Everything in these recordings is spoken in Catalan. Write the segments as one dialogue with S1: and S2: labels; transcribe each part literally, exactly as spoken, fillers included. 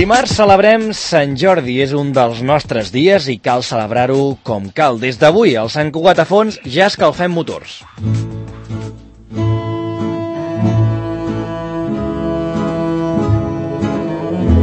S1: Dimarts celebrem Sant Jordi, és un dels nostres dies i cal celebrar-ho com cal. Des d'avui, al Sant Cugat a Fons, ja escalfem motors.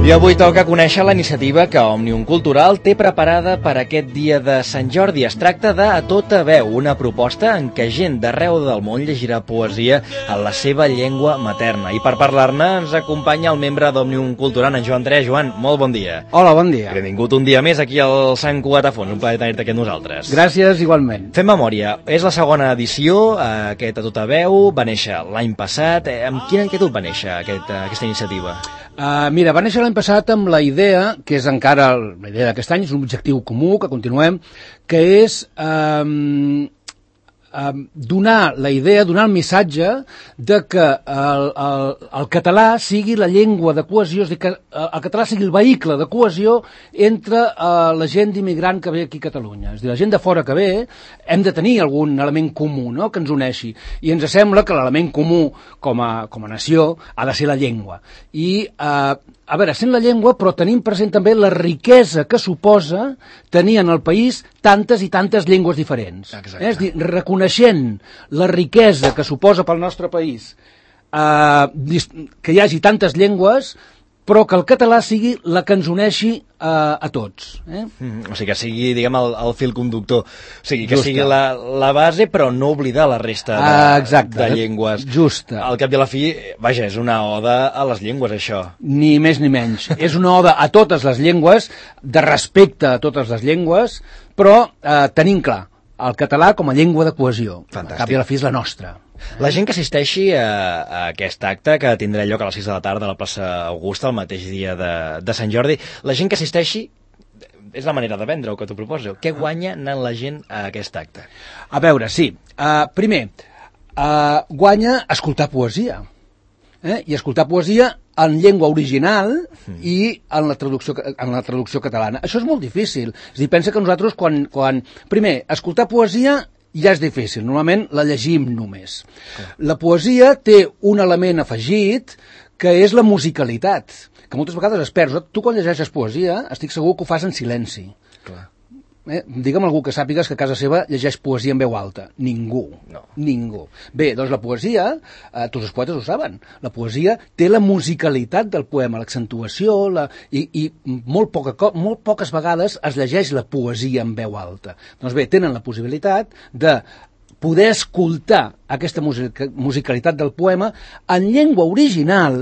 S1: I avui toca conèixer la iniciativa que Òmnium Cultural té preparada per aquest dia de Sant Jordi. Es tracta de A Tota Veu, una proposta en què gent d'arreu del món llegirà poesia en la seva llengua materna. I per parlar-ne ens acompanya el membre d'Òmnium Cultural, en Joan Andrea. Joan, molt bon dia.
S2: Hola, bon dia.
S1: Benvingut un dia més aquí al Sant Cugat a Fons. Un plaer tenir-te aquí amb nosaltres.
S2: Gràcies, igualment.
S1: Fem memòria. És la segona edició, aquest A Tota Veu. Va néixer l'any passat. Amb quina inquietud va néixer aquest, aquesta iniciativa?
S2: Uh, mira, va néixer l'any passat amb la idea, que és encara la idea d'aquest any, és un objectiu comú, que continuem, que és um, um, donar la idea, donar el missatge de que el, el, el català sigui la llengua de cohesió, és a dir, que el català sigui el vehicle de cohesió entre uh, la gent d'immigrant que ve aquí a Catalunya. És a dir, la gent de fora que ve, hem de tenir algun element comú, no?, que ens uneixi. I ens sembla que l'element comú com a, com a nació ha de ser la llengua. I, eh, a veure, sent la llengua, però tenim present també la riquesa que suposa tenir en el país tantes i tantes llengües diferents. Eh? És a dir, reconeixent la riquesa que suposa pel nostre país eh, que hi hagi tantes llengües, però que el català sigui la que ens uneixi eh, a tots. Eh?
S1: Mm, o sigui, que sigui, diguem, el, el fil conductor. O sigui, que Justa. sigui la, la base, però no oblidar la resta de,
S2: ah, exacte,
S1: de llengües.
S2: Justa.
S1: Al cap i a la fi, vaja, és una oda a les llengües, això.
S2: Ni més ni menys. És una oda a totes les llengües, de respecte a totes les llengües, però eh, tenim clar el català com a llengua de cohesió.
S1: Fantàstic.
S2: Al cap i a la fi és la nostra.
S1: La gent que assisteixi a, a aquest acte, que tindrà lloc a les sis de la tarda a la plaça Augusta, el mateix dia de, de Sant Jordi, la gent que assisteixi, és la manera de vendre-ho que t'ho proposo. Què guanya anant la gent a aquest acte?
S2: A veure, sí. Uh, primer, uh, guanya escoltar poesia. Eh? I escoltar poesia en llengua original i en la traducció, en la traducció catalana. Això és molt difícil. És a dir, pensa que nosaltres quan, quan... Primer, escoltar poesia ja és difícil, normalment la llegim només. Clar. La poesia té un element afegit que és la musicalitat, que moltes vegades es perd. Tu quan llegeixes poesia estic segur que ho fas en silenci. Clar. Eh? Digue'm algú que sàpigues que a casa seva llegeix poesia en veu alta. Ningú. No. Ningú. Bé, doncs la poesia, eh, tots els poetes ho saben, la poesia té la musicalitat del poema, l'accentuació, la... I, i molt, poca, molt poques vegades es llegeix la poesia en veu alta. Doncs bé, tenen la possibilitat de poder escoltar aquesta music musicalitat del poema en llengua original,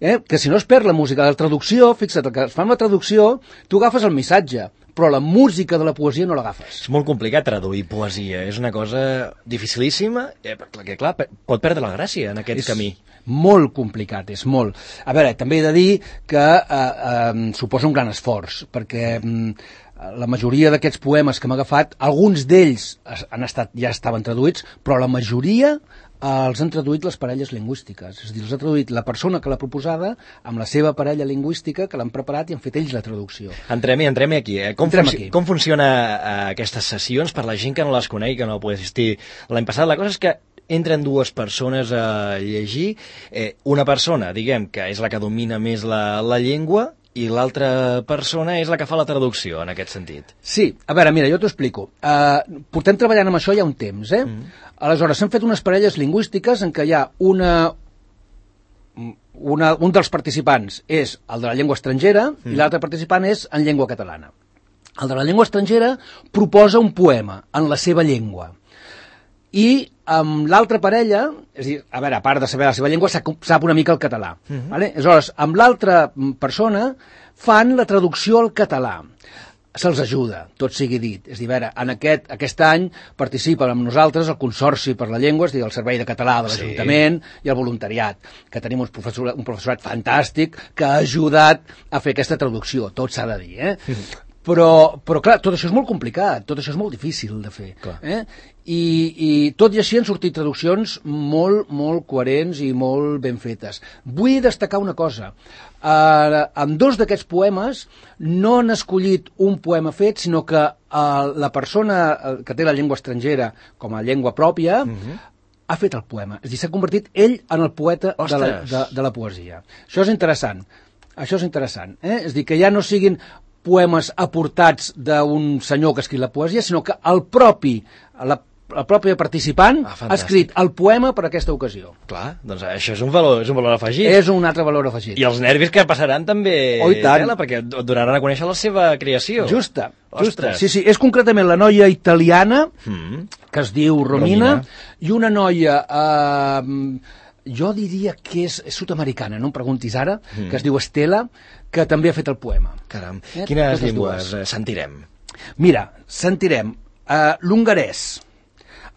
S2: eh? Que si no es perd la música de la traducció, fixa't, que es fa amb la traducció, tu agafes el missatge, però la música de la poesia no l'agafes.
S1: És molt complicat traduir poesia, és una cosa dificilíssima, eh, que clar, pot perdre la gràcia en aquest
S2: és
S1: camí.
S2: Molt complicat, és molt. A veure, també he de dir que eh, eh, suposa un gran esforç, perquè eh, la majoria d'aquests poemes que hem agafat, alguns d'ells han estat, ja estaven traduïts, però la majoria els han traduït les parelles lingüístiques. És a dir, els ha traduït la persona que l'ha proposada amb la seva parella lingüística, que l'han preparat i han fet ells la traducció.
S1: Entrem-hi, entrem-hi aquí. Eh? Com,
S2: entrem
S1: func
S2: aquí.
S1: Com funciona eh, aquestes sessions per la gent que no les coneix, que no pugui assistir l'any passat? La cosa és que entren dues persones a llegir, eh, una persona, diguem, que és la que domina més la, la llengua, i l'altra persona és la que fa la traducció, en aquest sentit.
S2: Sí, a veure, mira, jo t'ho explico. Uh, portem treballant amb això ja un temps, eh? Mm. Aleshores, s'han fet unes parelles lingüístiques en què hi ha una, una... Un dels participants és el de la llengua estrangera mm. i l'altre participant és en llengua catalana. El de la llengua estrangera proposa un poema en la seva llengua. I amb l'altra parella, és a dir, a veure, a part de saber la seva llengua, sap una mica el català. Uh-huh. Vale? Aleshores, amb l'altra persona fan la traducció al català. Se'ls ajuda, tot sigui dit. És a dir, a veure, en aquest, aquest any participen amb nosaltres el Consorci per la Llengua, és a dir, el Servei de Català de l'Ajuntament sí. i el voluntariat, que tenim un professorat, un professorat fantàstic que ha ajudat a fer aquesta traducció, tot s'ha de dir, eh? Uh-huh. Però, però, clar, tot això és molt complicat, tot això és molt difícil de fer. Eh? I, I tot i així han sortit traduccions molt, molt coherents i molt ben fetes. Vull destacar una cosa. Uh, amb dos d'aquests poemes no han escollit un poema fet, sinó que uh, la persona que té la llengua estrangera com a llengua pròpia uh-huh. ha fet el poema. És a dir, s'ha convertit ell en el poeta de la, de, de la poesia. Això és interessant. Això és interessant. Eh? És a dir, que ja no siguin poemes aportats d'un senyor que escriu la poesia, sinó que el propi, la, el propi participant
S1: ah,
S2: ha escrit el poema per a aquesta ocasió.
S1: Clar, doncs això és un valor, és un valor afegit.
S2: És un altre valor afegit.
S1: I els nervis que passaran també,
S2: oh,
S1: tela, perquè et donaran a conèixer la seva creació.
S2: Justa, justa. Sí, sí, és concretament la noia italiana,
S1: mm.
S2: que es diu Romina,
S1: Romina.
S2: i una noia... Eh, jo diria que és sud-americana, no em preguntis ara, mm. que es diu Estela, que també ha fet el poema.
S1: Caram, eh? Quines Totes llengües dues. sentirem?
S2: Mira, sentirem uh, l'hongarès,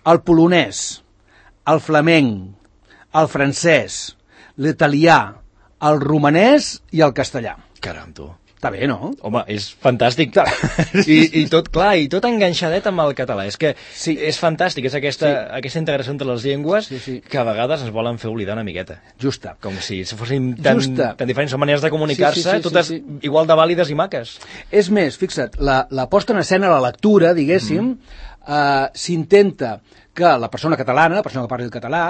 S2: el polonès, el flamenc, el francès, l'italià, el romanès i el castellà.
S1: Caram, tu.
S2: Està bé, no?
S1: Home, és fantàstic. I, i tot, clar, i tot enganxadet amb el català. És que sí. és fantàstic, és aquesta, sí. aquesta integració entre les llengües sí, sí. que a vegades es volen fer oblidar una miqueta.
S2: Justa.
S1: Com si fossin tan, tan diferents, són maneres de comunicar-se,
S2: sí, sí, sí,
S1: totes
S2: sí, sí.
S1: igual de vàlides i maques.
S2: És més, fixa't, la, la posta en escena, la lectura, diguéssim, mm. eh, s'intenta que la persona catalana, la persona que parli el català,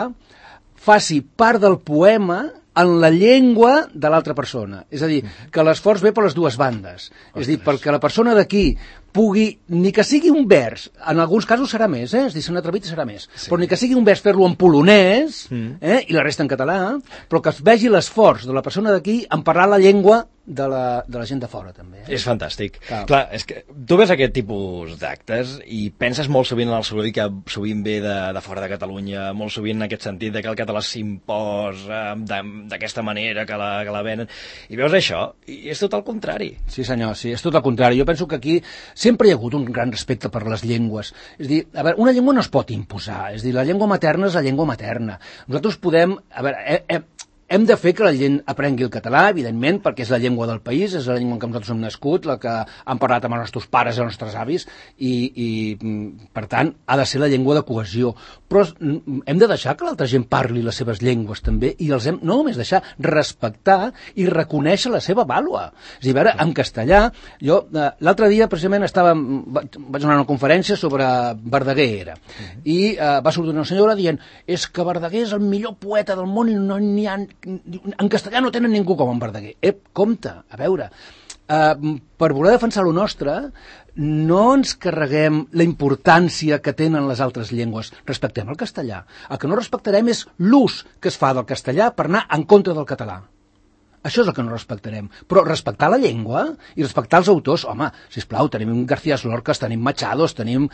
S2: faci part del poema en la llengua de l'altra persona. És a dir, que l'esforç ve per les dues bandes. Ostres. És a dir, perquè la persona d'aquí pugui, ni que sigui un vers, en alguns casos serà més, eh? És a dir, si un atrevit serà més, sí. però ni que sigui un vers fer-lo en polonès, mm. eh? i la resta en català, però que es vegi l'esforç de la persona d'aquí en parlar la llengua de la, de la gent de fora, també. Eh?
S1: És fantàstic. Clar. Clar, és que tu ves aquest tipus d'actes i penses molt sovint en el soroll que sovint ve de, de fora de Catalunya, molt sovint en aquest sentit de que el català s'imposa d'aquesta manera que la, que la venen, i veus això, i és tot el contrari.
S2: Sí, senyor, sí, és tot el contrari. Jo penso que aquí sempre hi ha hagut un gran respecte per les llengües. És a dir, a veure, una llengua no es pot imposar, és a dir, la llengua materna és la llengua materna. Nosaltres podem, a veure, eh, eh, hem de fer que la gent aprengui el català, evidentment, perquè és la llengua del país, és la llengua en què nosaltres hem nascut, la que han parlat amb els nostres pares i els nostres avis, i, i per tant, ha de ser la llengua de cohesió. Però hem de deixar que l'altra gent parli les seves llengües també, i els hem, no només deixar, respectar i reconèixer la seva vàlua. És a dir, a veure, en castellà, jo l'altre dia precisament estava, vaig donar una conferència sobre Verdaguer, era, i uh, va sortir una senyora dient és que Verdaguer és el millor poeta del món i no n'hi ha en castellà no tenen ningú com en Verdaguer. Ep, compte, a veure, uh, per voler defensar lo nostre, no ens carreguem la importància que tenen les altres llengües. Respectem el castellà. El que no respectarem és l'ús que es fa del castellà per anar en contra del català. Això és el que no respectarem. Però respectar la llengua i respectar els autors, home, sisplau, tenim García Lorca, tenim Machados, tenim...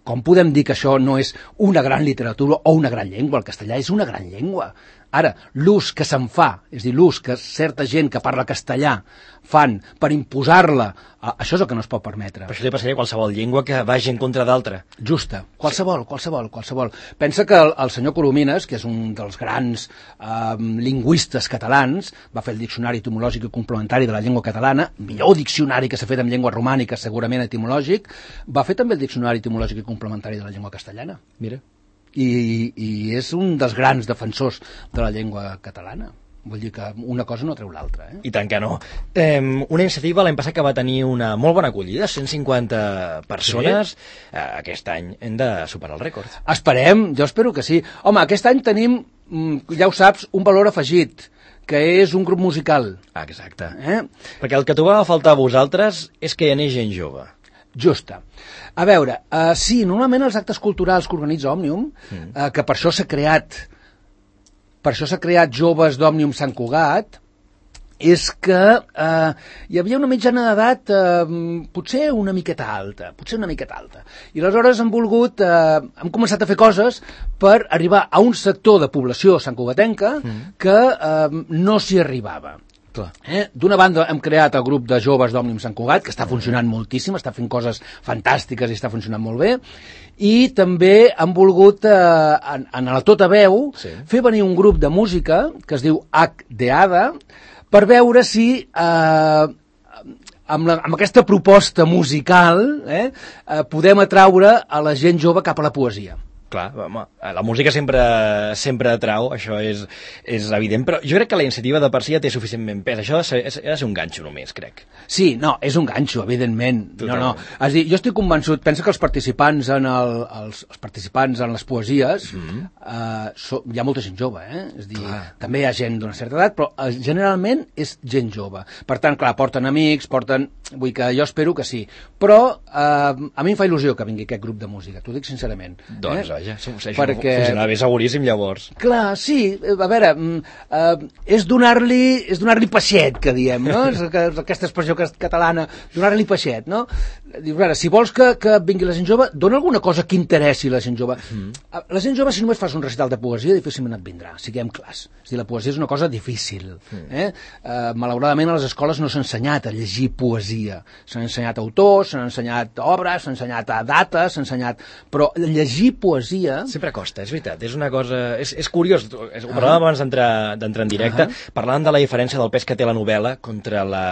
S2: Com podem dir que això no és una gran literatura o una gran llengua? El castellà és una gran llengua. Ara, l'ús que se'n fa, és a dir, l'ús que certa gent que parla castellà fan per imposar-la, això és el que no es pot permetre.
S1: Per això li passaria qualsevol llengua que vagi en contra d'altra.
S2: Justa, qualsevol, qualsevol, qualsevol. Pensa que el, el senyor Coromines, que és un dels grans eh, lingüistes catalans, va fer el diccionari etimològic i complementari de la llengua catalana, millor diccionari que s'ha fet en llengua romànica, segurament etimològic, va fer també el diccionari etimològic i complementari de la llengua castellana.
S1: Mira.
S2: I, i és un dels grans defensors de la llengua catalana. Vull dir que una cosa no treu l'altra. Eh?
S1: I tant que no. Eh, una iniciativa l'any passat que va tenir una molt bona acollida, cent cinquanta persones. Sí. Eh, aquest any hem de superar el rècord.
S2: Esperem, jo espero que sí. Home, aquest any tenim, ja ho saps, un valor afegit, que és un grup musical.
S1: Ah, exacte. Eh? Perquè el que trobava a faltar a vosaltres és que hi anés gent jove.
S2: Justa. A veure, uh, sí, normalment els actes culturals que organitza Òmnium, mm. uh, que per això s'ha creat per això s'ha creat Joves d'Òmnium Sant Cugat, és que uh, hi havia una mitjana d'edat uh, potser una miqueta alta, potser una miqueta alta. I aleshores hem volgut, uh, hem començat a fer coses per arribar a un sector de població santcugatenca mm. que uh, no s'hi arribava. Eh? D'una banda hem creat el grup de joves d'Òmnium Sant Cugat, que està funcionant moltíssim, està fent coses fantàstiques i està funcionant molt bé, i també hem volgut, eh, en, en la Tota Veu, sí. fer venir un grup de música que es diu H de Ada, per veure si eh, amb, la, amb aquesta proposta musical eh, eh, podem atraure a la gent jove cap a la poesia.
S1: Clar, home, la música sempre sempre atrau, això és, és evident, però jo crec que la iniciativa de per si ja té suficientment pes. Això ha de ser, ha de ser un ganxo només, crec.
S2: Sí, no, és un ganxo, evidentment. Total. No, no. És a dir, jo estic convençut, pensa que els participants en, el, els, els participants en les poesies, mm-hmm. eh, so, hi ha molta gent jove, eh? És a dir, clar. També hi ha gent d'una certa edat, però eh, generalment és gent jove. Per tant, clar, porten amics, porten... Vull que jo espero que sí. Però eh, a mi em fa il·lusió que vingui aquest grup de música, t'ho dic sincerament.
S1: Doncs,
S2: eh?
S1: vaja, perquè... funcionarà bé seguríssim, llavors.
S2: Clar, sí, a veure, eh, és donar-li és donar-li peixet, que diem, no? És aquesta expressió catalana, donar-li peixet, no? Dius, a veure, si vols que, que vingui la gent jove, dona alguna cosa que interessi la gent jove. Mm. La gent jove, si només fas un recital de poesia, difícilment et vindrà, siguem clars. És dir, la poesia és una cosa difícil. Mm. Eh? Eh, malauradament, a les escoles no s'ha ensenyat a llegir poesia. S'han ensenyat autors, s'han ensenyat obres, s'han ensenyat dates, s'han ensenyat... Però llegir poesia...
S1: Sempre costa, és veritat, és una cosa... És, és curiós, ho parlàvem abans d'entrar en directe, uh-huh. parlant de la diferència del pes que té la novel·la contra la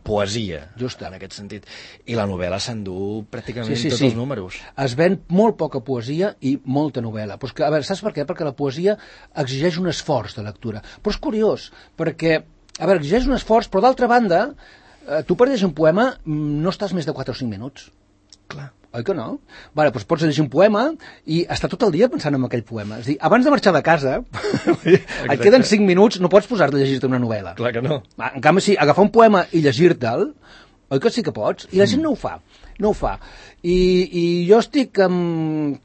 S1: poesia,
S2: just
S1: en aquest sentit. I la novel·la s'endú pràcticament
S2: sí, sí,
S1: tots
S2: sí.
S1: els números.
S2: Es ven molt poca poesia i molta novel·la. Pues que, a veure, saps per què? Perquè la poesia exigeix un esforç de lectura. Però és curiós, perquè, a veure, exigeix un esforç, però d'altra banda, eh, tu per llegir un poema no estàs més de quatre o cinc minuts.
S1: Clar.
S2: Oi que no? Vale, doncs pots llegir un poema i estar tot el dia pensant en aquell poema. És a dir, abans de marxar de casa, et queden cinc minuts, no pots posar-te a llegir-te una novel·la.
S1: Clar que no.
S2: En canvi, sí, agafar un poema i llegir-te'l, oi que sí que pots? I la gent no ho fa, no ho fa. I, i jo estic amb...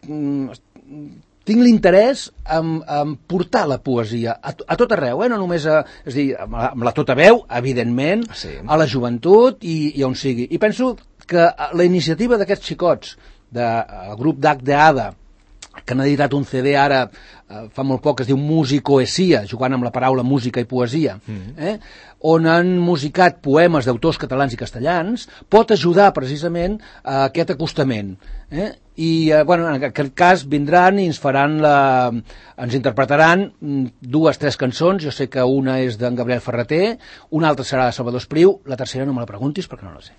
S2: tinc l'interès en, en portar la poesia a, a tot arreu, eh? No només a, és a dir, amb la, amb la tota veu, evidentment, sí. A la joventut i, i on sigui. I penso que la iniciativa d'aquests xicots, del grup d'H de Ada, que han editat un ce de ara eh, fa molt poc, que es diu Musicoesia, jugant amb la paraula música i poesia, mm-hmm. eh? On han musicat poemes d'autors catalans i castellans, pot ajudar precisament a aquest acostament. Eh? I, eh, bueno, en aquest cas vindran i ens faran la... ens interpretaran dues, tres cançons. Jo sé que una és d'en Gabriel Ferreter, una altra serà de Salvador Espriu, la tercera no me la preguntis perquè no la sé.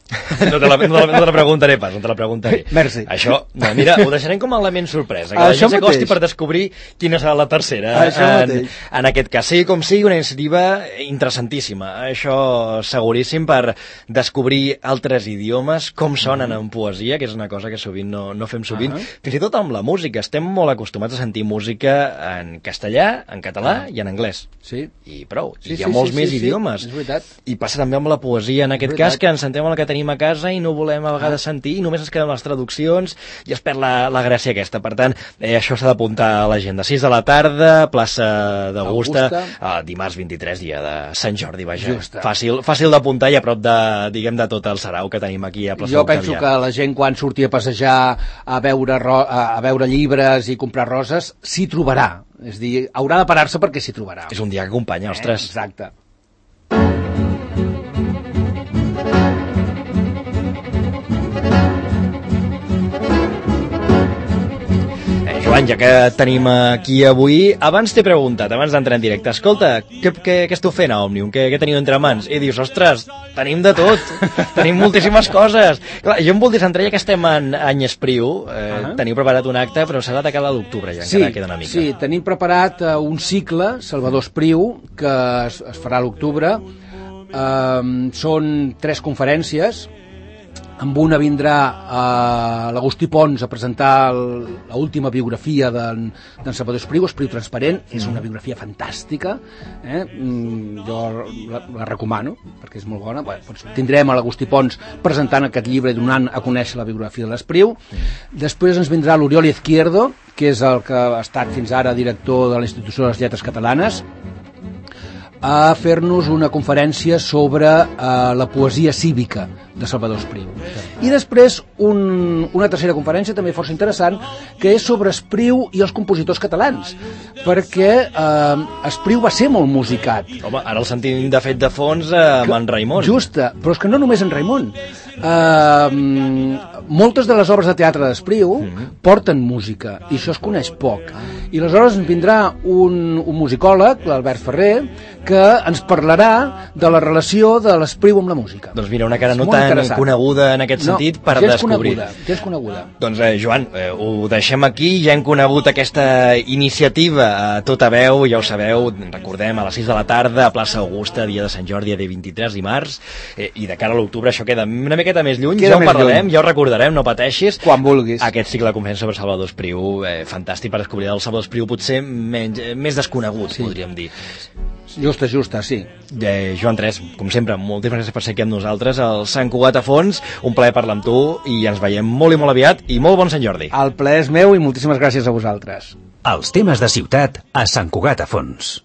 S1: No te la, no, te la, no te la preguntaré pas, no te la preguntaré.
S2: Merci.
S1: Això, no, mira, ho deixarem com a element sorpresa, que la gent s'acosti per descobrir quina serà la tercera.
S2: Això
S1: en, en aquest cas, sigui com sigui, una iniciativa interessantíssima. Això seguríssim, per descobrir altres idiomes, com sonen en poesia, que és una cosa que sovint no, no fem sovint. Uh-huh. Fins i tot amb la música. Estem molt acostumats a sentir música en castellà, en català uh-huh. i en anglès.
S2: Sí.
S1: I prou.
S2: Sí,
S1: I hi ha
S2: sí,
S1: molts
S2: sí,
S1: més
S2: sí,
S1: idiomes.
S2: Sí, és veritat.
S1: I passa també amb la poesia, en aquest cas, que ens sentem el que tenim a casa i no volem a vegades sentir, i només ens queden les traduccions i es perd la, la gràcia aquesta. Per tant, eh, això s'ha d'apuntar a l'agenda. sis de la tarda, plaça d'Augusta, eh, dimarts vint-i-tres, dia de Sant Jordi, vaja. Justa. Fàcil, fàcil d'apuntar i a prop de, diguem, de tot el sarau que tenim aquí a plaça
S2: Jo penso que la gent, quan surti a passejar, a veure, ro- a veure llibres i comprar roses, s'hi trobarà. És a dir, haurà de parar-se perquè s'hi trobarà.
S1: És un dia que acompanya, ostres.
S2: Eh, exacte.
S1: Joan, ja que tenim aquí avui, abans t'he preguntat, abans d'entrar en directe, escolta, què, què, què esteu fent a Òmnium? Què, què teniu entre mans? I dius, ostres, tenim de tot, tenim moltíssimes coses. Clar, jo em voldria centrar, ja que estem en any Espriu, eh, uh-huh. teniu preparat un acte, però serà de cara a l'octubre, ja,
S2: sí,
S1: encara queda una mica.
S2: Sí, tenim preparat uh, un cicle, Salvador Espriu, que es, es farà a l'octubre. Uh, són tres conferències. Amb una vindrà uh, l'Agustí Pons a presentar l'última biografia d'en Salvador Espriu, Espriu Transparent. Mm. És una biografia fantàstica, eh? mm, jo la, la recomano perquè és molt bona. Bé, doncs tindrem a l'Agustí Pons presentant aquest llibre i donant a conèixer la biografia de l'Espriu. Mm. Després ens vindrà l'Oriol Izquierdo, que és el que ha estat fins ara director de l'Institució de les Lletres Catalanes, a fer-nos una conferència sobre uh, la poesia cívica de Salvador Espriu. I després un, una tercera conferència també força interessant, que és sobre Espriu i els compositors catalans, perquè eh, Espriu va ser molt musicat.
S1: Home, ara el sentim de fet de fons eh, amb en Raimon.
S2: Justa, però és que no només en Raimon. Eh, moltes de les obres de teatre d'Espriu mm. porten música, i això es coneix poc. I aleshores ens vindrà un, un musicòleg, l'Albert Ferrer, que ens parlarà de la relació de l'Espriu amb la música.
S1: Doncs mira, una cara no tan coneguda en aquest sentit no, per
S2: ja
S1: descobrir.
S2: Coneguda, ja és coneguda.
S1: Doncs, eh, Joan, eh, ho deixem aquí, ja hem conegut aquesta iniciativa a tota veu, ja ho sabeu, recordem, a les sis de la tarda, a plaça Augusta, dia de Sant Jordi, dia vint-i-tres dimarts, eh, i de cara a l'octubre això queda una miqueta més lluny, queda ja ho parlarem, lluny. Ja ho recordarem, no pateixis.
S2: Quan vulguis.
S1: Aquest cicle de conferència sobre Salvador Espriu, eh, fantàstic per descobrir el Salvador Espriu, potser menys, eh, més desconegut, sí. podríem dir.
S2: Justa, justa, sí.
S1: Eh, Joan Tres, com sempre, moltíssimes gràcies per ser aquí amb nosaltres al Sant Cugat a Fons, un plaer parlar amb tu i ens veiem molt i molt aviat i molt bon Sant Jordi.
S2: El plaer és meu i moltíssimes gràcies a vosaltres.
S3: Els temes de ciutat a Sant Cugat a Fons.